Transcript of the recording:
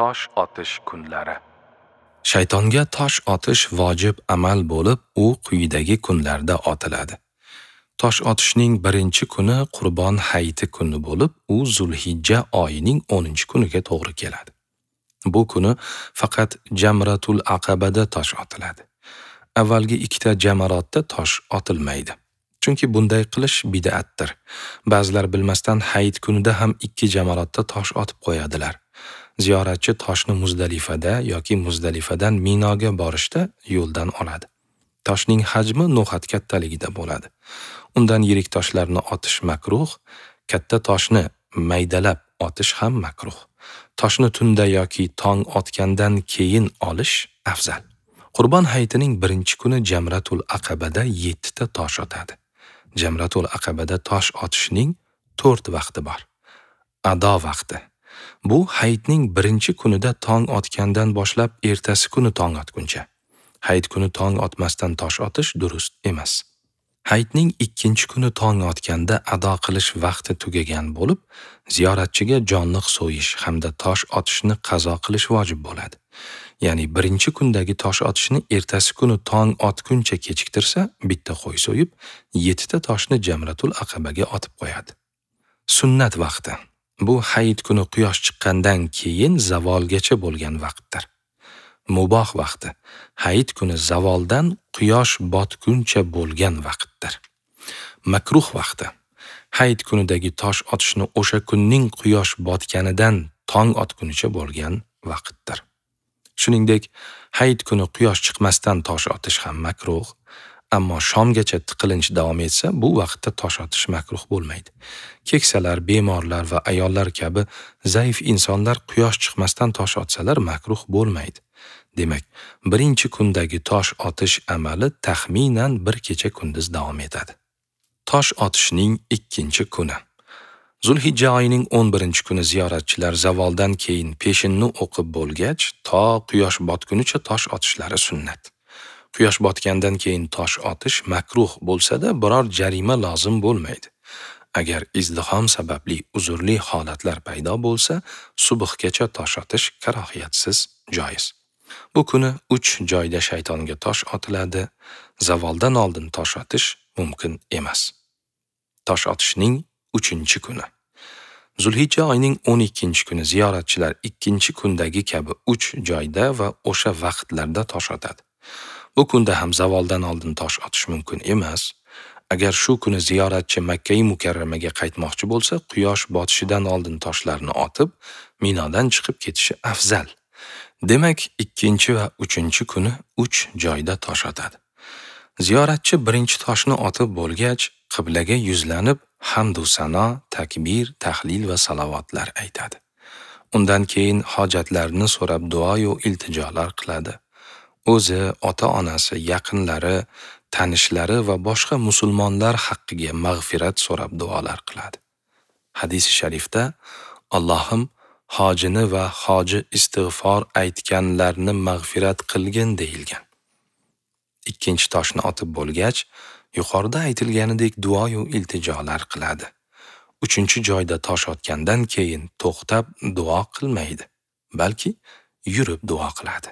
Tosh otish kunlari. Shaytonga tosh otish vojib amal bo'lib, u quyidagi kunlarda otiladi. Tosh otishning birinchi kuni Qurbon hayiti kuni bo'lib, u Zulhijja oyining 10-kuniga to'g'ri keladi. Bu kuni faqat Jamratul Aqabada tosh otiladi. Avvalgi ikkita jamarotda tosh otilmaydi. Chunki bunday qilish bid'atdir. Ba'zilar bilmasdan hayit kunida ham ikki jamarotda tosh otib qo'yadilar. Ziyoratchi toshni Muzdalifada yoki Muzdalifadan Minoga borishda yo'ldan oladi. Toshning hajmi no'xat kattaligida bo'ladi. Undan yirik toshlarni otish makruh, katta toshni maydalab otish ham makruh. Toshni tunda yoki tong otgandan keyin olish afzal. Qurbon hayitining birinchi kuni Jamratul Aqabada 7 ta tosh otadi. Jamratul Aqabada tosh otishning 4 vaqti bor. Ado vaqti. Bu hayitning birinchi kunida tong otgandan boshlab ertasi kuni tong otguncha. Hayit kuni tong otmasdan tosh otish durust emas. Hayitning ikkinchi kuni tong otganda ado qilish vaqti tugagan bo'lib, ziyoratchiga jonliq so'yish hamda tosh otishni qazo qilish vojib bo'ladi. Ya'ni birinchi kundagi tosh otishni ertasi kuni tong otguncha kechiktirsa, bitta qo'y so'yib, 7 ta toshni Jamratul Aqabaga otib qo'yadi. Sunnat vaqti. Bu hayit kuni quyosh chiqqandan keyin zavolgacha bo'lgan vaqtdir. Muboh vaqti. Hayit kuni zavoldan quyosh botguncha bo'lgan vaqtdir. Makruh vaqti. Hayit kunidagi tosh otishni o'sha kunning quyosh botganidan tong otgunicha bo'lgan vaqtdir. Shuningdek, hayit kuni quyosh chiqmasdan tosh otish ham makruh, ammo shomgacha tiqilinch davom etsa, bu vaqtda tosh otish makruh bo'lmaydi. Keksalar, bemorlar va ayollar kabi zaif insonlar quyosh chiqmasdan tosh otsalar makruh bo'lmaydi. Demak, birinchi kundagi tosh otish amali taxminan bir kecha kunduz davom etadi. Tosh otishning ikkinchi kuni. Zulhijja oyining 11-kuni ziyoratchilar zavoldan keyin peshinni o'qib bo'lgach, to quyosh botgunicha tosh otishlari sunnat. Quyosh botgandan keyin tosh otish makruh bo'lsa-da, biror jarima lozim bo'lmaydi. Agar izdihom sababli uzrli holatlar paydo bo'lsa, subhgacha tosh otish karohiyatsiz joiz. Bu kuni 3 joyda shaytonga tosh otiladi. Zavoldan oldin tosh otish mumkin emas. Tosh otishning 3-kuni. Zulhijja oyining 12-kuni ziyoratchilar 2-kundagi kabi 3 joyda va o'sha vaqtlarda tosh otadi. Bu kunda ham zavoldan oldin tosh otish mumkin emas. Agar shu kuni ziyoratchi Makka-i Mukarramaga qaytmoqchi bo'lsa, quyosh botishidan oldin toshlarni otib, Minodan chiqib ketishi afzal. Demak, 2 va 3-kuni 3 joyda tosh otadi. Ziyoratchi birinchi toshni otib bo'lgach, qiblaga yuzlanib, hamd va sano, takbir, tahlil va salovatlar aytadi. Undan keyin hojatlarini so'rab duo va iltijolar qiladi. O'zi, ota-onasi, yaqinlari, tanishlari va boshqa musulmonlar haqqiga mag'firat so'rab duolar qiladi. Hadis-i sharifda Allohim hojini va hoji istig'for aytganlarni mag'firat qilgin deyilgan. Ikkinchi toshni otib bo'lgach, yuqorida aytilganidek duo va iltijolar qiladi. 3-joyda tosh otgandan keyin to'xtab duo qilmaydi, balki yurib duo qiladi.